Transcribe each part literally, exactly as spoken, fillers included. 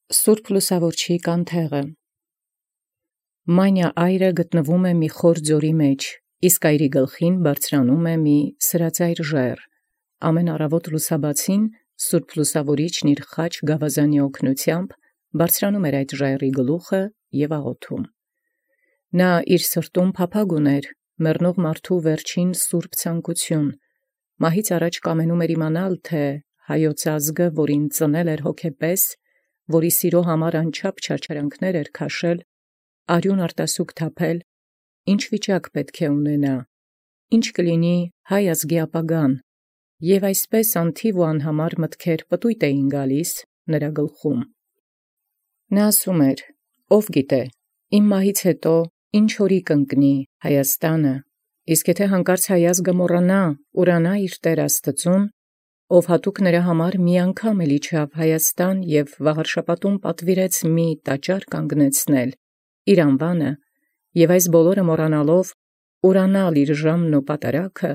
Սուրբ Լուսաւորչի կանթեղը։ Մանիա այրը գտնվում է մի խոր ձորի մեջ, իսկ այրի գլխին բարձրանում է մի սրածայր ժայռ։ Ամեն առավոտ լուսաբացին Սուրբ Լուսաւորիչն իր խաչ գավազանի օգնությամբ բարձրանում էր այդ ժայռի գլուխը և աղոթում։ Նա իր սրտում փափագ ուներ մեռնող մարդու վերջին սուրբ ցանկություն։ Մահից առաջ կամենում էր իմանալ, թե հայոց ազգը, որին ծնել էր հոգեպես, որի սիրո համար անչափ չարչարանքներ էր քաշել, արյուն արտասուք թափել, ինչ վիճակ պետք է ունենա, ինչ կլինի հայ ազգի ապագան, և այսպես անթիվ ու անհամար մտքեր պտույտ էին գալիս նրա գլխում։ Նա ասում էր. «Ով գիտե, իմ մահից հետո ինչ օրի կընկնի Հայաստանը, իսկ եթե հանկարծ հայ ազգը մոռանա, ուրանա իր Տեր Աստծուն, ով հատուկ նրա համար մի անգամ էլ իջավ Հայաստան և վաղարշապատում պատվիրեց մի տաճար կանգնեցնել իր անվանը, և այս բոլորը մոռանալով ուրանալ իր ժամն ու պատարագը,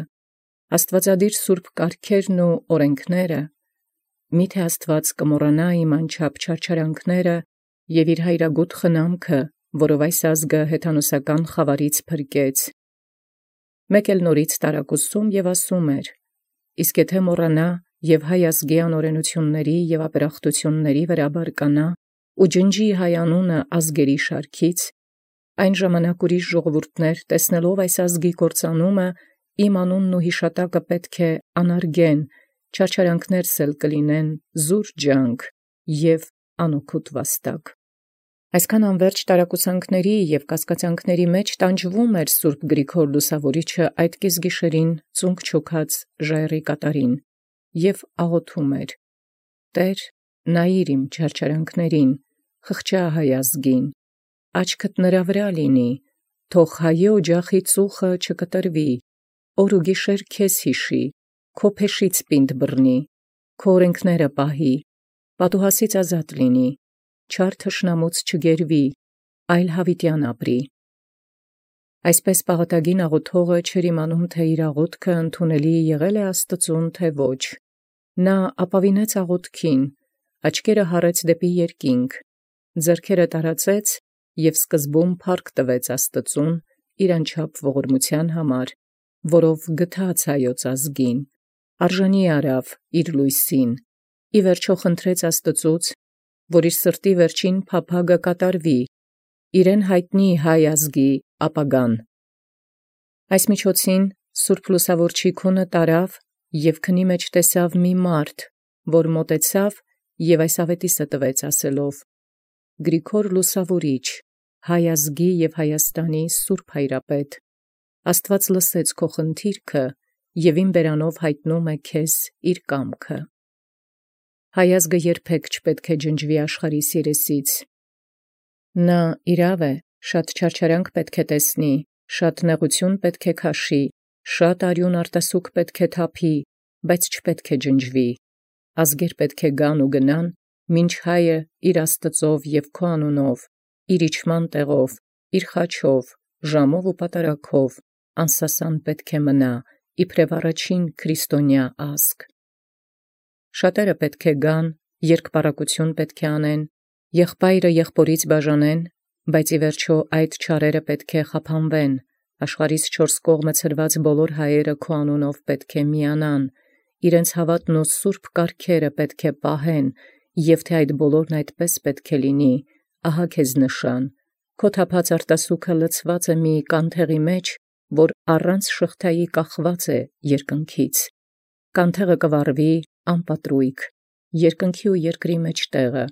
աստուածադիր սուրբ կարգերն ու օրենքները, միթե Աստուած կմոռանա իմ անչափ չարչարանքները և իր հայրագութ խնամքը, որով այս ազգը հեթանոսական խավարից փրկեց։ Մեկ էլ նորից տարակուսում և ասում էր. իսկ եթե մոռանա և հայ ազգի անօրենութիւնների և ապերախտութիւնների վրա բարկանա ու ջնջի հայ անունը ազգերի շարքից, այն ժամանակ ուրիշ ժողովուրդներ տեսնելով այս ազգի կործանումը, իմ անունն ու յիշատակը պետք է անարգեն, չարչարանքներս էլ կլինեն զուր ջանք և անօգուտ վաստակ։ Այսքան անվերջ տարակուսանքների և կասկածանքների մեջ տանջվում էր Սուրբ Գրիգոր Լուսաւորիչը այդ կեսգիշերին ծունկ չոքած ժայռի կատարին և աղոթում էր. «Տէր, նայիր իմ չարչարանքներին, խղճա հայ ազգին, աչքդ նրա վրա լինի, թող հայե օջախի ծուխը չկտրվի, օր ու գիշեր քեզ յիշի, քո փեշից պինդ բռնի, քո օրենքները պահի, պատուհասից ազատ լինի, չար թշնամուց չգերվի, այլ յաւիտեան ապրի»։ Այսպես պաղատագին աղոթողը չէր իմանում, թե իր աղոթքը ընդունելի եղել է Աստծուն, թե ոչ։ Նա ապավինեց աղոթքին, աչքերը հառեց դեպի երկինք, ձեռքերը տարածեց և սկզբում փառք տվեց Աստծուն իր անչափ ողորմութեան համար, որով գթած հայոց ազգին, արժանի արավ իր լույսին, ի վերջո խնդրեց Աստծուց, որ իր սրտի վերջին փափագը կատարվի, իրեն յայտնի հայ ազգի ապագան։ Այս միջոցին Սուրբ Լուսաւորչի քունը տարավ և քնի մեջ տեսավ մի մարդ, որ մոտեցավ և այս աւետիսը տվեց ասելով. «Գրիգոր Լուսաւորիչ, հայ ազգի և Հայաստանի սուրբ հայրապետ, Աստուած լսեց քո խնդիրքը և իմ բերանով յայտնում է քեզ իր կամքը։ Հայ ազգը երբեք չպետք է ջնջվի աշխարհիս երեսից։ Նա իրաւ է, շատ չարչարանք պետք է տեսնի, շատ նեղութիւն պետք է քաշի, շատ արյուն արտասուք պետք է թափի, բայց չպետք է ջնջվի։ Ազգեր պետք է գան ու գնան, մինչ հայը իր Աստծով և քո անունով, իր իջման տեղով, իր խաչով, ժամով ու պատարագով անսասան պետք է մնա, իբրև առաջին քրիստոնյա ազգ։ Շատերը պետք է գան, երկպառակություն պետք է անեն, եղբայրը եղբորից բաժանեն, բայց ի վերջո այդ չարերը պետք է խափանվեն, աշխարհիս չորս կողմը ցրված բոլոր հայերը քո անունով պետք է միանան, իրենց հաւատն ու սուրբ կարգերը պետք է պահեն, և թե այդ բոլորն այդպես պետք է լինի, ահա քեզ նշան. քո թափած արտասուքը լցված է մի կանթեղի մեջ, որ առանց շղթայի կախված է երկնքից։ Կանթեղը կը վառվի անպատրույգ, երկնքի ու երկրի մեջտեղը։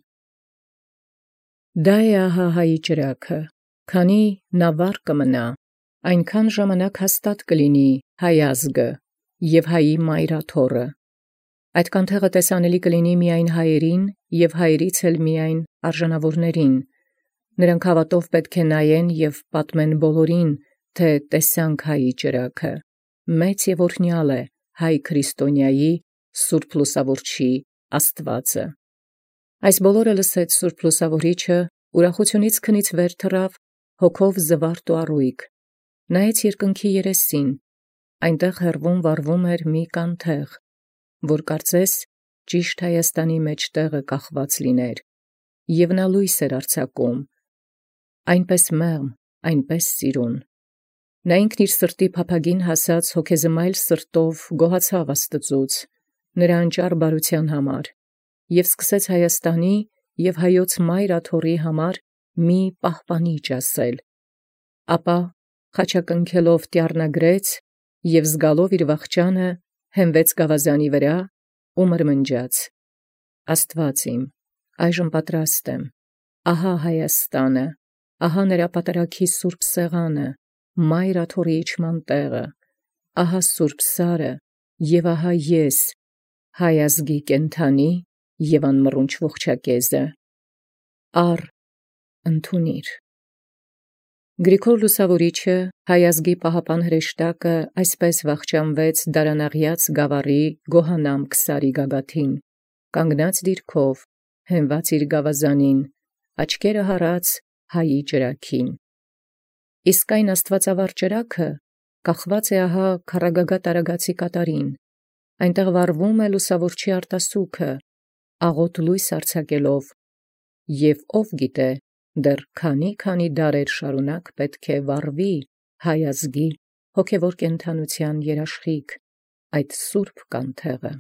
Դա է ահա հայի ճրագը, քանի նա վառ կմնա, այնքան ժամանակ հաստատ կլինի հայ ազգը և հայի մայրաթոռը։ Այդ կանթեղը տեսանելի կլինի միայն հայերին և հայերից էլ միայն արժանաւորներին։ Նրանք հաւատով պետք է նայեն և պատմեն բոլորին, թե տեսանք հայի ճրագը, մեծ և օրհնեալ է հայ քրիստոնյայի Սուրբ Լուսաւորչի Աստուածը։ Այս բոլորը լսեց Սուրբ Լուսաւորիչը, ուրախութիւնից քնից վեր թռավ, հոգով զվարթ ու առույգ, նայեց երկնքի երեսին, այնտեղ հեռվում վառվում էր մի կանթեղ, որ կարծես ճիշտ Հայաստանի մեջտեղը կախված լիներ։ և նա լույս էր արձակում, այնպես մեղմ, այնպես սիրուն։ Նա ինքն իր սրտի փափագին հասած հոգեզմայլ սրտով գոհացավ Աստծուց, նրա անճառ բարության համար, և սկսեց Հայաստանի և հայոց մայր աթոռի համար մի պահպանիչ ասել, ապա խաչակնքելով տյառնագրեց և զգալով իր վախճանը հենվեց գավազանի վրա ու մրմնջաց. «Աստված իմ, այժմ պատրաստ եմ, ահա Հայաստանը, ահա նրա պատարագի սուրբ սեղանը, մայր աթոռի իջման տեղը, ահա սուրբ սարը, և ահա ես, հայ ազգի կենդանի և անմռունչ ողջակեզը, առ, ընդունիր»։ Գրիգոր Լուսավորիչը, հայ ազգի պահապան հրեշտակը, այսպես վախճանվեց Դարանաղյաց գավառի Գոհանամք սարի գագաթին, կանգնած դիրքով, հենված իր գավազանին, աչքերը հառած հայի ճրագին։ Իսկ այն աստուածավառ ճրագը կախված է ահա քառագագաթ արագածի կատարին, այնտեղ վառվում է լուսավորչի արտասուքը, աղոտ լույս արձակելով, և ով գիտե, դեռ քանի՛—քանի դարեր շարունակ պետք է վառվի հայ ազգի հոգևոր կենդանութեան երաշխիք, այդ սուրբ կանթեղը։